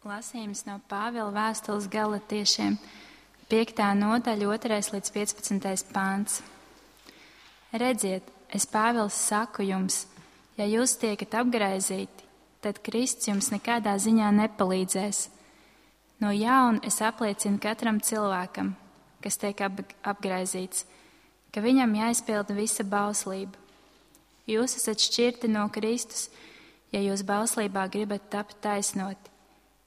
Lasījums no Pāvila vēstules Galatiešiem, 5. nodaļa, 2. līdz 15. pāns. Redziet, es Pāvils saku jums, ja jūs tiekat apgraizīti, tad Kristus jums nekādā ziņā nepalīdzēs. No jauna es apliecinu katram cilvēkam, kas tiek apgraizīts, ka viņam jāizpilda visa bauslība. Jūs esat šķirti no Kristus, ja jūs bauslībā gribat tapt taisnoti.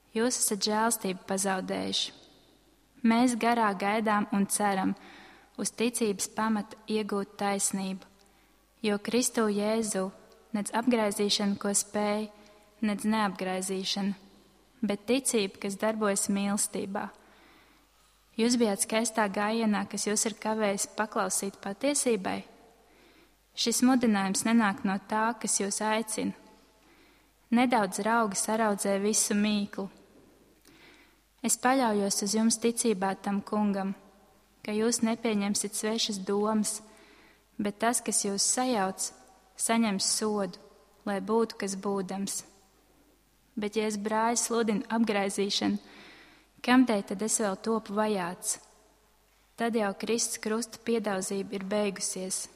Jūs esat žēlstību pazaudējuši. Mēs garā gaidām un ceram uz ticības pamata iegūt taisnību, jo Kristu Jēzu nedz apgraizīšana, ko spēj, nedz neapgraizīšana, bet ticība, kas darbojas mīlestībā. Jūs bijāt skaistā gājienā, kas jūs ir kavējis paklausīt patiesībai. Šis mudinājums nenāk no tā, kas jūs aicina. Nedaudz raugi saraudzē visu mīklu. Es paļaujos uz jums ticībā tam kungam, ka jūs nepieņemsit svešas domas, bet tas, kas jūs sajauc, saņems sodu, lai būtu kas būdams. Bet ja es brāļi sludinu apgraizīšanu, kamdēļ tad es vēl topu vajāts? Tad jau Kristus krusta piedauzība ir beigusies.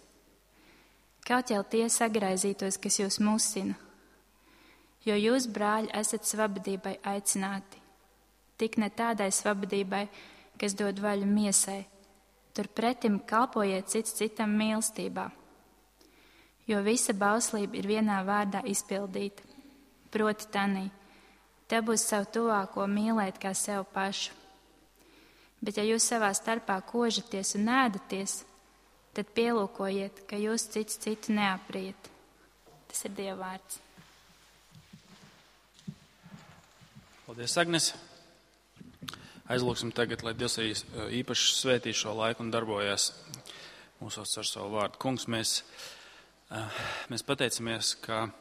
Kaut jau tie sagraizītos, kas jūs musina, jo jūs, brāļi, esat svabadībai aicināti. Tik ne tādai svabadībai, kas dod vaļu miesai, turpretim kalpojiet cits citam mīlestībā. Jo visa bauslība ir vienā vārdā izpildīta, proti tanī, te būs savu tuvāko mīlēt kā sev pašu. Bet ja jūs savā starpā kožaties un ēdaties, tad pielūkojiet, ka jūs cits citu neapriet. Tas ir Dieva vārds. Paldies, Agnes. Aizlūksim tagad, lai Dievs īpaši svētī šo laiku un darbojas mūsos ar savu vārdu. Kungs, mēs pateicamies, ka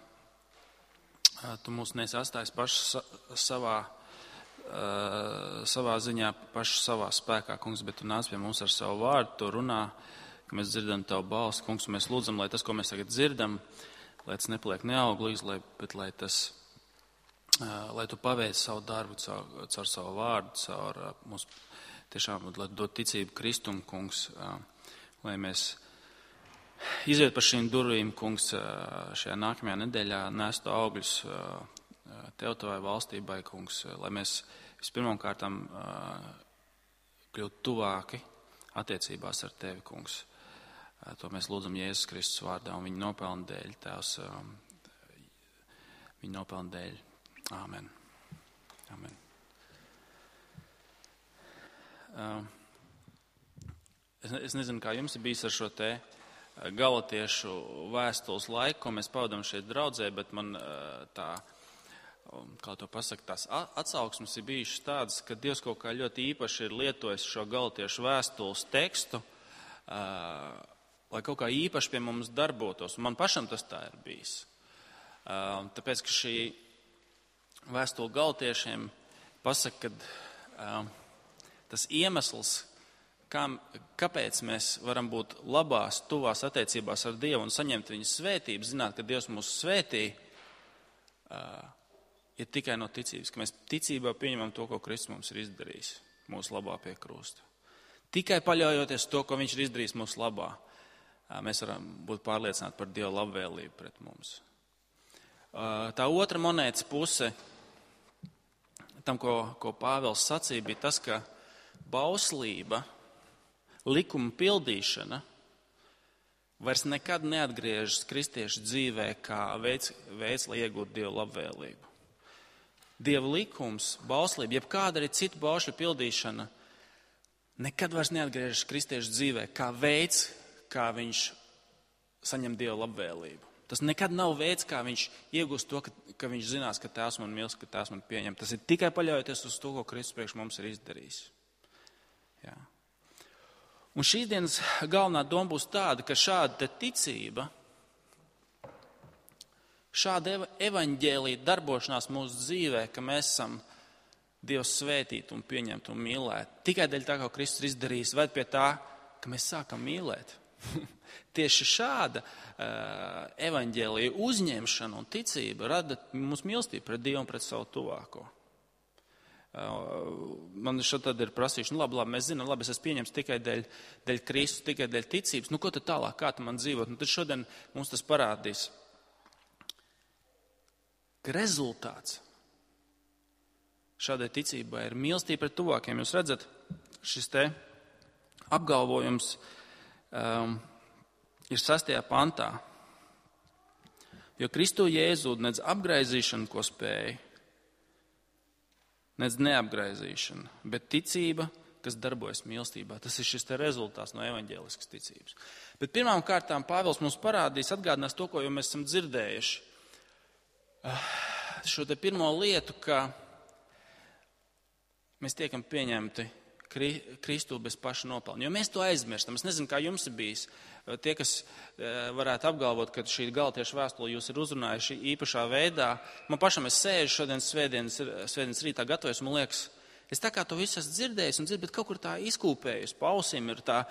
Tu mūs nesi atstājis paši savā ziņā, paši savā spēkā, Kungs, bet Tu nāc pie mums ar savu vārdu, Tu runā, ka mēs dzirdam Tavu balsi. Kungs, mēs lūdzam, lai tas, ko mēs tagad dzirdam, lai tas nepaliek neauglīgs, bet lai Tu paveic savu darbu caur savu vārdu, caur mums tiešām, lai dod ticību Kristum, Kungs, lai mēs iziet par šīm durvīm, Kungs, šajā nākamajā nedēļā nestu augļus Tev, Tavai valstībai, Kungs, lai mēs vispirmām kārtām kļūtu tuvāki attiecībās ar Tevi, Kungs. To mēs lūdzam Jēzus Kristus vārdā un viņa nopelna dēļ, Tēvs, viņa nopelna dēļ. Āmen. Āmen. Es nezinu, kā jums ir bijis ar šo te galatiešu vēstules laiku, ko mēs pavadām šeit draudzē, bet man tā, kā to pasaka, tās atsauksmes ir bijušas tādas, ka Dievs kaut kā ļoti īpaši ir lietojis šo galatiešu vēstules tekstu, lai kaut kā īpaši pie mums darbotos. Man pašam tas tā ir bijis. Tāpēc, ka šī vēstule galatiešiem pasaka, ka tas iemesls, kāpēc mēs varam būt labās, tuvās attiecībās ar Dievu un saņemt viņa svētību, zināt, ka Dievs mūs svētī, ir tikai no ticības, ka mēs ticībā pieņemam to, ko Kristus mums ir izdarījis mūsu labā pie krusta. Tikai paļaujoties to, ko viņš ir izdarījis mūsu labā, mēs varam būt pārliecināti par Dieva labvēlību pret mums. Tā otra monētas puse tam, ko Pāvils sacīja, bija tas, ka bauslība, likuma pildīšana vairs nekad neatgriežas kristiešu dzīvē kā veids, lai iegūtu Dieva labvēlību. Dieva likums, bauslība, jebkāda arī citu baušļu pildīšana nekad vairs neatgriežas kristiešu dzīvē kā veids, kā viņš saņem Dieva labvēlību. Tas nekad nav veids, kā viņš iegūst to, ka viņš zinās, ka Tēvs man mīl, ka Tēvs man pieņem. Tas ir tikai paļaujoties uz to, ko Kristus priekš mums ir izdarījis. Jā. Un šīs dienas galvenā doma būs tāda, ka šāda ticība, šāda evaņģēlija darbošanās mūsu dzīvē, ka mēs esam Dievu svētīti un pieņemti un mīlēti, tikai dēļ tā, ko Kristus ir izdarījis, ved pie tā, ka mēs sākam mīlēt. Tieši šāda evaņģēlija uzņemšana un ticība rada mums mīlestību pret Dievu un pret savu tuvāko. Man šeit tad ir prasījuši, labi, mēs zinām, labi, es esmu pieņems tikai dēļ Kristus, tikai dēļ ticības. Ko tad tālāk, kā tu man dzīvot? Tad šodien mums tas parādīs, ka rezultāts šādai ticībai ir mīlestība pret tuvākiem. Jūs redzat, šis te apgalvojums ir 6. pantā. Jo Kristu Jēzu nedz apgraizīšana, ko spēja, nedz neapgraizīšana, bet ticība, kas darbojas mīlestībā. Tas ir šis te rezultāts no evaņģēliskas ticības. Bet pirmām kārtām Pāvils mums parādīs, atgādinās to, ko jau mēs esam dzirdējuši. Šo te pirmo lietu, ka mēs tiekam pieņemti Kristu bez paša nopelna. Jo mēs to aizmirstam. Es nezinu, kā jums ir bijis. Tie, kas varētu apgalvot, ka šī Galatiešu vēstule jūs ir uzrunājuši īpašā veidā. Man pašam es sēžu šodien svētdienas rītā gatavojas, man liekas, es tā kā to visu esmu dzirdējis, bet kaut kur tā izkūpējus. Pa ausīm ir tā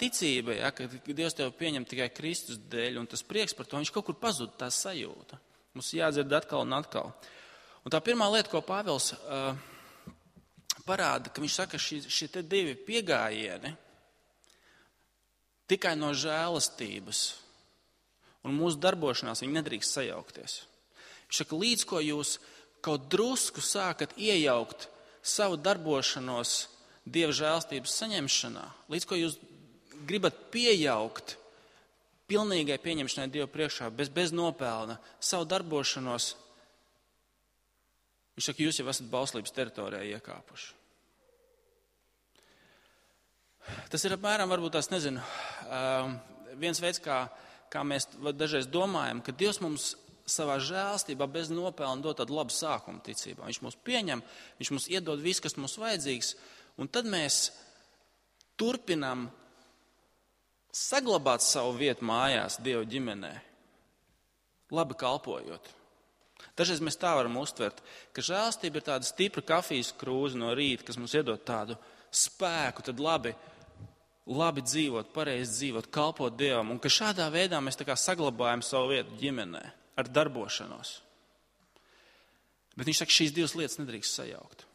ticība, ja, ka Dievs tev pieņem tikai Kristus dēļ, un tas prieks par to, viņš kaut kur pazud, tā sajūta. Mums jādzird atkal un atkal. Un tā pirmā lieta, ko Pāvils parāda, ka viņš saka, šie te divi piegājieni tikai no žēlastības un mūsu darbošanās viņi nedrīkst sajaukties. Viņš saka, līdz ko jūs kaut drusku sākat iejaukt savu darbošanos Dieva žēlastības saņemšanā, līdz ko jūs gribat pieaugt pilnīgai pieņemšanai Dievu priekšā, bez nopelna, savu darbošanos, viņš saka, jūs jau esat bauslības teritorijā iekāpuši. Tas ir apmēram, varbūt tās nezinu, viens veids, kā mēs dažreiz domājam, ka Dievs mums savā žēlstībā bez nopelna dod tādu labu sākumu ticībā. Viņš mūs pieņem, viņš mums iedod visu, kas mums vajadzīgs, un tad mēs turpinam saglabāt savu vietu mājās Dieva ģimenē, labi kalpojot. Dažreiz mēs tā varam uztvert, ka žēlstība ir tāda stipra kafijas krūze no rīta, kas mums iedod tādu spēku, tad labi dzīvot, pareizi dzīvot, kalpot Dievam, un ka šādā veidā mēs tā kā saglabājam savu vietu ģimenē ar darbošanos. Bet viņš saka, šīs divas lietas nedrīkst sajaukt.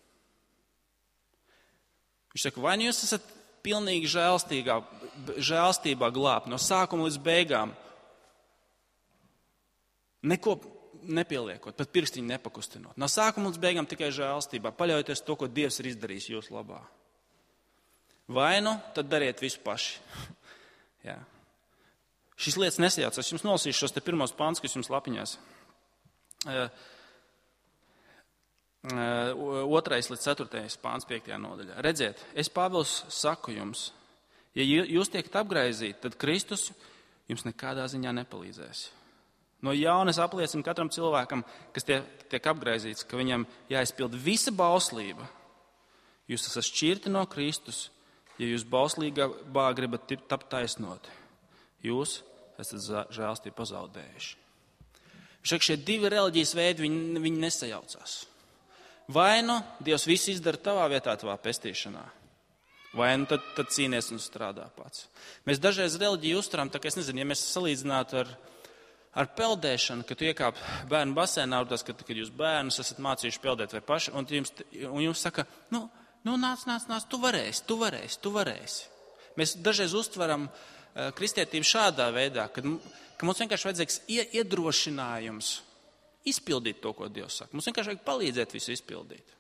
Viņš saka, vai nu jūs esat pilnīgi žēlstībā glābt no sākuma līdz beigām, neko nepieliekot, pat pirkstiņu nepakustinot. No sākuma līdz beigām tikai žēlstībā, paļaujoties to, ko Dievs ir izdarījis jūsu labā. Vai nu, tad dariet visu paši. Jā. Šīs lietas nesajaucas. Es jums nolasīšu šos te pirmos pants, kas jums lapiņās. 2. līdz 4. pāns 5. nodaļā. Redziet, es Pāvils saku jums, ja jūs tiekat apgraizīti, tad Kristus jums nekādā ziņā nepalīdzēs. No jauna es apliecinu katram cilvēkam, kas tiek apgraizīts, ka viņam jāizpild visa bauslība. Jūs esat šķirti no Kristus, ja jūs bauslībā gribat tapt taisnoti. Jūs esat žēlstību pazaudējuši. Šie divi reliģijas veidi, viņi nesajaucās. Vai nu Dievs visu izdara tavā vietā, tavā pestīšanā, vai nu tad cīnies un strādā pats. Mēs dažreiz reliģiju uztveram, tā kā es nezinu, ja mēs salīdzinātu ar peldēšanu, kad tu iekāp bērnu basēnā, kad jūs bērnus esat mācījuši peldēt vai paši, un jums saka, nāc, tu varēsi. Mēs dažreiz uztveram kristietību šādā veidā, ka mums vienkārši vajadzīgs iedrošinājums izpildīt to, ko Dievs saka. Mums vienkārši vajag palīdzēt visu izpildīt.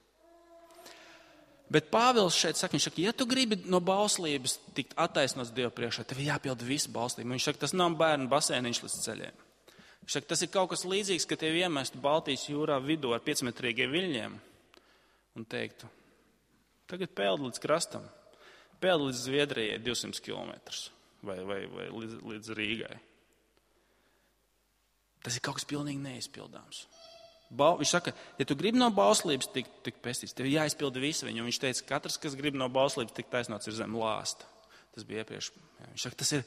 Bet Pāvils šeit saka, viņš saka, ja tu gribi no bauslības tikt attaisnots Dievu priekšā, tev jāpilda visa bauslība. Viņš saka, tas nav bērnu basēniņš līdz ceļiem. Viņš saka, tas ir kaut kas līdzīgs, ka tev iemestu Baltijas jūrā vidū ar 5-metrīgiem viļņiem un teiktu, tagad peld līdz krastam, peld līdz Zviedrijai 200 kilometrus vai līdz Rīgai. Tas ir kaut kas pilnīgi neizpildāms. Viņš saka, ja tu gribi no bauslības tikt pestīts, tev jāizpilda visu viņu. Viņš teica, katrs, kas grib no bauslības tikt taisnots, ir zem lāsta. Tas bija iepriekš. Viņš saka, tas ir,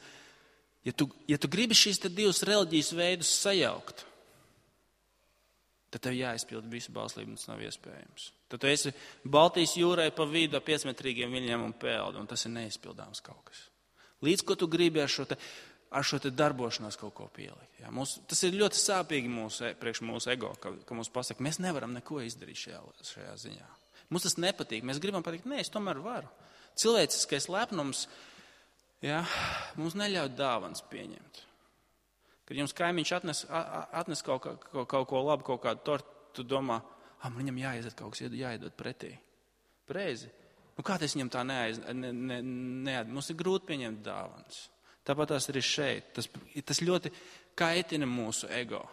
ja tu gribi šīs divas reliģijas veidus sajaukt, tad tev jāizpilda visu bauslību, un tas nav iespējams. Tad tu esi Baltijas jūrai pa vidu 5-metrīgiem viļņiem un peldi, un tas ir neizpildāms kaut kas. Līdz ko tu gribi ar šo te darbošanos kaut ko pielikt. Ja? Tas ir ļoti sāpīgi priekš mūsu ego, ka mums pasaka, mēs nevaram neko izdarīt šajā ziņā. Mums tas nepatīk. Mēs gribam pateikt, nē, es tomēr varu. Cilvēciskais lepnums, mums neļauj dāvanas pieņemt. Kad jums kaimiņš atnes kaut ko labu, kaut kādu tortu, tu domā, viņam jāiedod kaut kas, jāiedod pretī. Preizi. Kā tas viņam tā neaiz? Mums ir grūti pieņemt dāvanas. Tāpat tās arī šeit. Tas ļoti kaitina mūsu ego.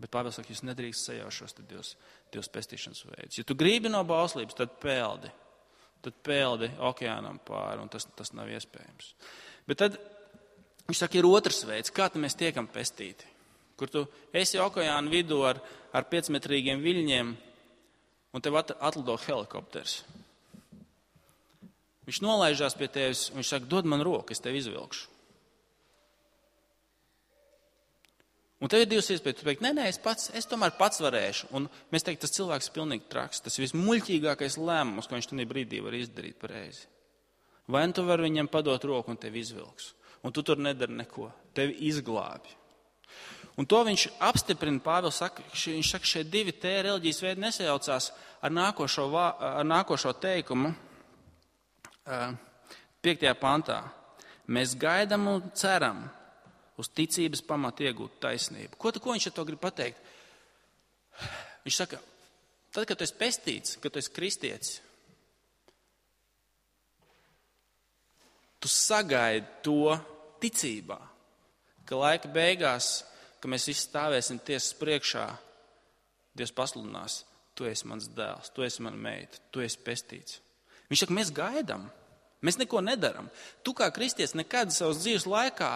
Bet Pāvils saka, jūs nedrīkst sajaušos Dievs pestīšanas veidus. Ja tu gribi no bauslības, tad peldi okeānam pāri, un tas nav iespējams. Bet tad, viņš saka, ir otrs veids, kā mēs tiekam pestīti. Kur tu esi okeāna vidū ar 5-metrīgiem viļņiem, un tev atlido helikopters. Viņš nolaižās pie tevis, un viņš saka, dod man roku, es tevi izvilkšu. Un tev ir divas iespējas, tu teikt, nē, es tomēr pats varēšu. Un mēs teikt, tas cilvēks ir pilnīgi traks. Tas ir vismuļķīgākais lēmums, ko viņš tajā brīdī var izdarīt pareizi. Vai tu vari viņam padot roku un tevi izvilks. Un tu tur nedari neko. Tevi izglābi. Un to viņš apstiprina, Pāvils saka, viņš saka, šie divi reliģijas veidi nesajaucās ar nākošo teikumu 5. pantā. Mēs gaidām un ceram uz ticības pamatu iegūt taisnību. Ko viņš ar to grib pateikt? Viņš saka, tad, kad tu esi pestīts, kad tu esi kristietis, tu sagaidi to ticībā, ka laika beigās, ka mēs visi stāvēsim tiesas priekšā, Dievs pasludinās, tu esi mans dēls, tu esi mana meita, tu esi pestīts. Viņš saka, mēs gaidām, mēs neko nedaram. Tu kā kristietis nekad savas dzīves laikā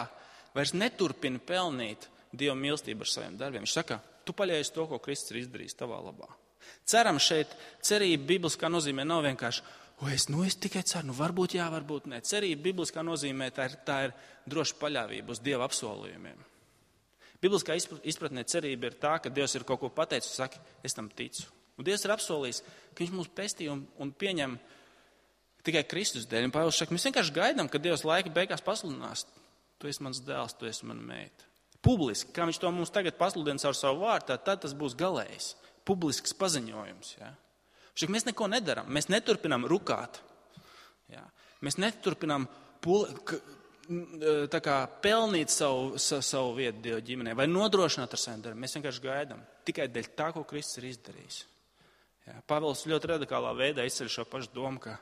vairs neturpina pelnīt Dieva mīlestību ar saviem darbiem. Viņš saka, tu paļaujies to, ko Kristus ir izdarījis tavā labā. Ceram šeit, cerība bibliskā nozīmē nav vienkārši, es tikai ceru, varbūt jā, varbūt nē. Cerība bibliskā nozīmē, tā ir droša paļāvība uz Dieva apsolījumiem. Bibliskā izpratnē cerība ir tā, ka Dievs ir kaut ko pateicis un saka, es tam ticu. Un Dievs ir apsolījis, ka viņš mūs pestīja un pieņem tikai Kristus dēļ. Un Pāvils saka, mēs vienkārši gaidām, ka Dievs laika beigās pasludinās. Tu esi mans dēls, tu esi mana meita. Publiski, kā viņš to mums tagad pasludina ar savu vārdu, tad tas būs galējs, publisks paziņojums. Ja? Šeit mēs neko nedaram, mēs neturpinām rukāt. Ja? Mēs neturpinām pelnīt savu vietu Dieva ģimenē vai nodrošināt ar saviem darbiem. Mēs vienkārši gaidām tikai dēļ tā, ko Kristus ir izdarījis. Ja? Pāvils ļoti radikālā veidā izceļ šo pašu domu, ka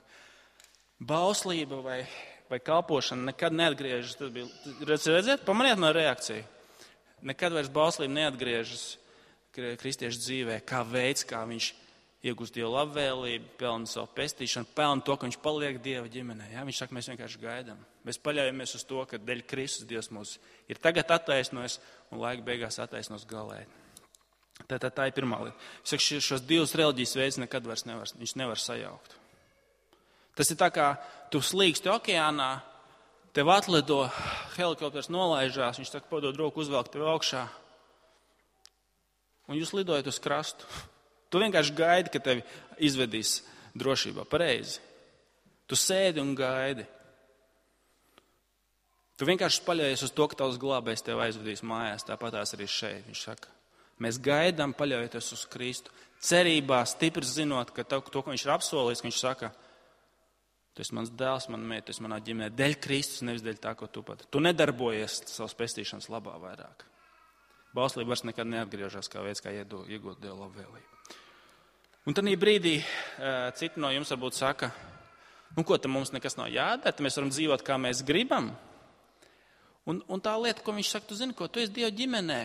bauslība vai kalpošana nekad neatgriežas. Tas bija, redziet, pamaniet no reakciju. Nekad vairs bauslība neatgriežas kristiešu dzīvē kā veids, kā viņš iegūst Dieva labvēlību, pelna savu pestīšanu, pelna to, ka viņš paliek Dieva ģimenē. Ja? Viņš saka, mēs vienkārši gaidām. Mēs paļaujamies uz to, ka dēļ Kristus Dievs mūs ir tagad attaisnojis un laika beigās attaisnos galēji. Tā ir pirmā lieta. Viņš saka, šos divus reliģijas veidus nekad vairs nevar sajaukt. Tas ir tā kā tu slīksti okeānā, tev atlido, helikopters nolaižās, viņš saka, padod roku, uzvelk tev augšā, un jūs lidojat uz krastu. Tu vienkārši gaidi, ka tevi izvedīs drošībā, pareizi. Tu sēdi un gaidi. Tu vienkārši paļaujies uz to, ka tavs glābējs tev aizvedīs mājās, tāpatās arī šeit. Viņš saka, mēs gaidām, paļaujoties uz Kristu, cerībā, stipri zinot, ka to, ko viņš ir apsolījis, ka viņš saka, tu esi mans dēls, mana meita, tu esi manā ģimenē, dēļ Kristus, nevis dēļ tā, ko tu pat. Tu nedarbojies savas pestīšanas labā vairāk. Bauslība vairs nekad neatgriežas kā veids, kā iegūt Dieva labvēlību. Un tad brīdī citi no jums varbūt saka, ko tam mums nekas nav jādara, mēs varam dzīvot, kā mēs gribam. Un tā lieta, ko viņš saka, tu zini, ko tu esi Dieva ģimenē.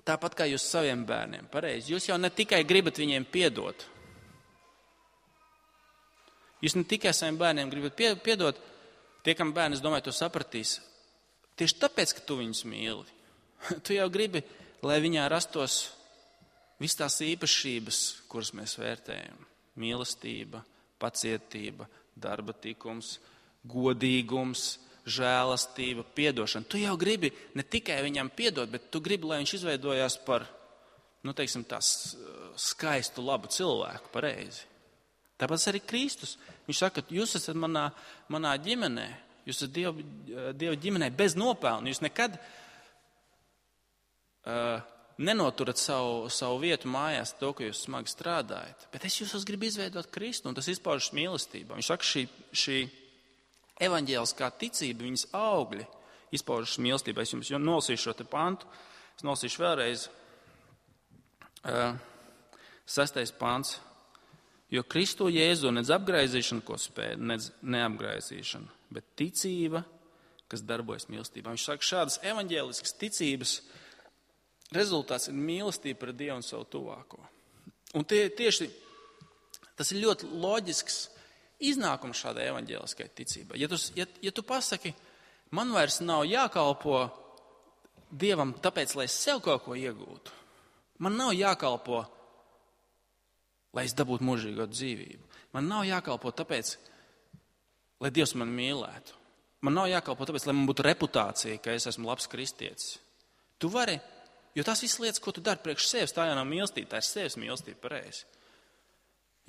Tāpat kā jūs saviem bērniem, pareizi. Jūs jau ne tikai gribat viņiem piedot. Jūs ne tikai saviem bērniem gribat piedot, tie, kam bērni, es domāju, to sapratīs. Tieši tāpēc, ka tu viņus mīli. Tu jau gribi, lai viņā rastos visas tās īpašības, kuras mēs vērtējam. Mīlestība, pacietība, darba tikums, godīgums, žēlastība, piedošana. Tu jau gribi ne tikai viņam piedot, bet tu gribi, lai viņš izveidojās par, tās skaistu, labu cilvēku, pareizi. Tāpēc arī Kristus. Viņš saka, jūs esat manā ģimenē, jūs esat Dieva ģimenē bez nopelna. Jūs nekad nenoturat savu vietu mājās to, ka jūs smagi strādājat, bet es jūs gribu izveidot Kristu, un tas izpaužas mīlestībā. Viņš saka, šī evaņģēliskā ticība, viņas augļi izpaužas mīlestībā. Es jums nolasīšu šo te pantu, es nolasīšu vēlreiz 6. pants. Jo Kristu Jēzu nedz apgraizīšana, ko spēja, nedz neapgraizīšana, bet ticība, kas darbojas mīlestībā. Viņš saka, šādas evaņģēliskas ticības rezultāts ir mīlestība pret Dievu un savu tuvāko. Un tieši tas ir ļoti loģisks iznākums šādai evaņģēliskai ticībai. Ja tu pasaki, man vairs nav jākalpo Dievam tāpēc, lai es sev kaut ko iegūtu. Man nav jākalpo, lai es dabūtu mūžīgo dzīvību. Man nav jākalpo tāpēc, lai Dievs mani mīlētu. Man nav jākalpo tāpēc, lai man būtu reputācija, ka es esmu labs kristietis. Tu vari, jo tās visas lietas, ko tu dari priekš sevis, tā jau nav mīlestība, tā ir sevis mīlestība pareizi.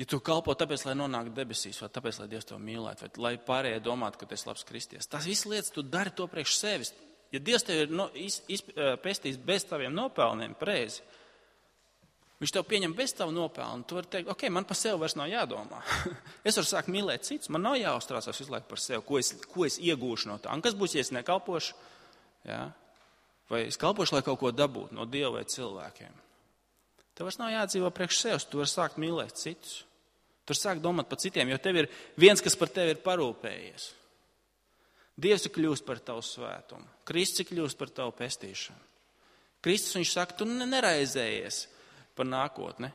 Ja tu kalpo tāpēc, lai nonāktu debesīs, vai tāpēc, lai Dievs tev mīlētu, vai lai pārējie domātu, ka tu esi labs kristietis. Tās visas lietas tu dari to priekš sevis. Ja Dievs tev ir pestījis bez taviem nopelniem, pareizi, Viņš tev pieņem bez tavu nopelnu. Tu vari teikt, ok, man par sevi vairs nav jādomā. Es varu sākt mīlēt citus. Man nav jāuztraucās visu laiku par sevi, ko es iegūšu no tā. Un kas būs, ja es nekalpošu? Ja? Vai es kalpošu, lai kaut ko dabūtu no Dieva vai cilvēkiem? Tev vairs nav jādzīvo priekš sevis. Tu vari sākt mīlēt citus. Tu vari sākt domāt par citiem, jo tev ir viens, kas par tevi ir parūpējies. Dievs ir kļūst par tavu svētumu. Kristus ir kļūst par tavu pestīšanu. Kristus, viņš saka, tu neraizējies par nākotni.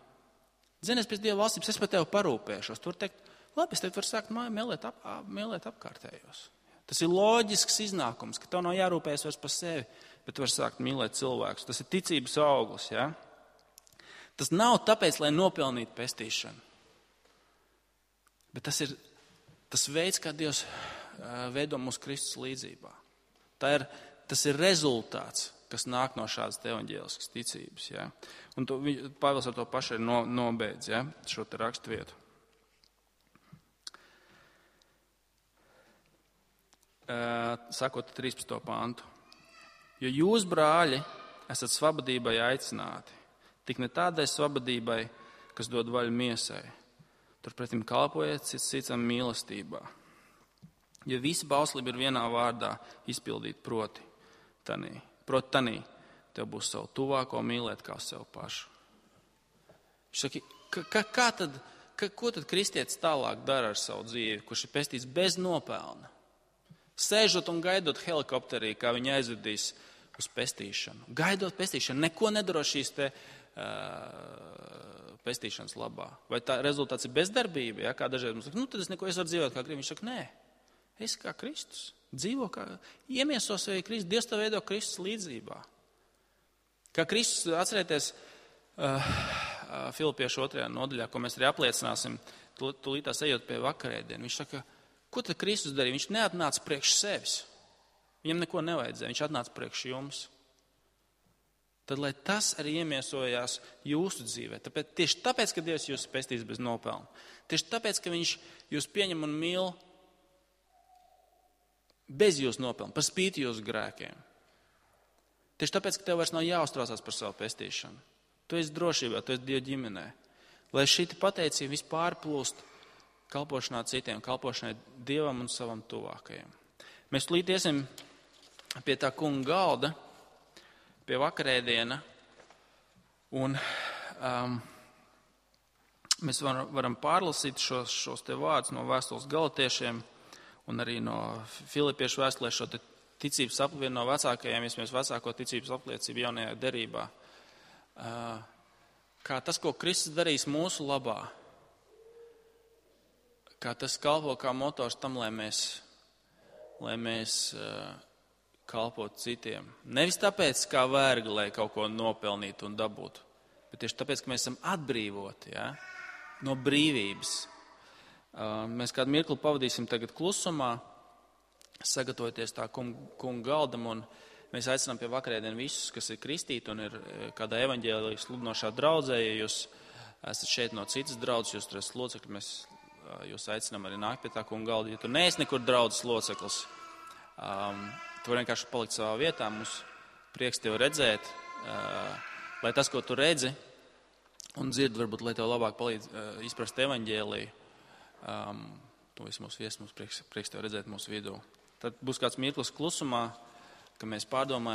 Zini, es pēc Dieva valstības, es par tevi parūpēšos. Tu vari teikt, labi, es tev varu sākt mīlēt apkārtējos. Tas ir loģisks iznākums, ka tev nav jārūpējas vairs par sevi, bet tu vari sākt mīlēt cilvēkus. Tas ir ticības auglis, ja? Tas nav tāpēc, lai nopelnītu pestīšanu. Bet tas ir tas veids, kā Dievs veido mūsu Kristus līdzībā. Tas ir rezultāts, kas nāk no šādas evaņģēliskas ticības. Ja? Un Pāvils ar to pašu ir nobeidz, ja? Šo te raksturvietu. Sakot 13. pantu. Jo jūs, brāļi, esat svabadībai aicināti, tik ne tādai svabadībai, kas dod vaļu miesai. Turpretim kalpojiet citam mīlestībā. Jo visa bauslība ir vienā vārdā izpildīt proti tanī, tev būs savu tuvāko mīlēt kā sev pašu. Viņš saka, ko tad kristietis tālāk dara ar savu dzīvi, kurš ir pestīts bez nopelna? Sēžot un gaidot helikopterī, kā viņi aizvedīs uz pestīšanu. Gaidot pestīšanu, neko nedaro šīs te pestīšanas labā. Vai tā rezultāts ir bezdarbība? Ja? Kā dažreiz mums saka, tad es varu dzīvot kā gribu. Viņš saka, nē, es kā Kristus. Dzīvo kā, iemieso sevi Kristus. Dievs tev veido Kristus līdzībā. Kā Kristus, atcerieties, Filipiešu 2. nodaļā, ko mēs arī apliecināsim, tūlītās ejot pie vakarēdienu. Viņš saka, ko tad Kristus darīja? Viņš neatnāca priekš sevis. Viņam neko nevajadzēja. Viņš atnāca priekš jums. Tad, lai tas arī iemiesojās jūsu dzīvē. Tieši tāpēc, ka Dievs jūs pestīs bez nopelna. Tieši tāpēc, ka viņš jūs pieņem un mīl bez jūsu nopelna, par spīti jūsu grēkiem. Tieši tāpēc, ka tev vairs nav jāuztraucās par savu pestīšanu. Tu esi drošībā, tu esi Dieva ģimenē. Lai šī pateicība vispār plūst kalpošanā citiem, kalpošanai Dievam un savam tuvākajiem. Mēs tūlīt iesim pie tā kunga galda, pie vakarēdiena, un mēs varam pārlasīt šos te vārdus no vēstules Galatiešiem un arī no Filipiešu vēstulē šo te ticības apliecību no vecākajiem, vismaz vecāko ticības apliecību jaunajā derībā. Kā tas, ko Kristus darīs mūsu labā, kā tas kalpo kā motors tam, lai mēs kalpotu citiem. Nevis tāpēc, kā vergi, lai kaut ko nopelnītu un dabūtu, bet tieši tāpēc, ka mēs esam atbrīvoti, ja? No brīvības. Mēs kādu mirkli pavadīsim tagad klusumā, sagatavoties tā kunga galdam, un mēs aicinām pie vakarēdienu visus, kas ir kristīti un ir kādā evaņģēlijas sludinošā draudzē. Ja jūs esat šeit no citas draudzes, jūs tur esat locekļi, mēs jūs aicinām arī nākt pie tā kunga galda. Ja tu neesi nekur draudzes loceklis, tu vari vienkārši palikt savā vietā. Mums prieks tevi redzēt. lai tas, ko tu redzi un dzirdi, varbūt, lai tev labāk palīdz izprast evaņģēliju, to visu mūsu viesu, mums prieks tev redzēt mūsu vidū. Tad būs kāds mirklis klusumā, ka mēs pārdomājam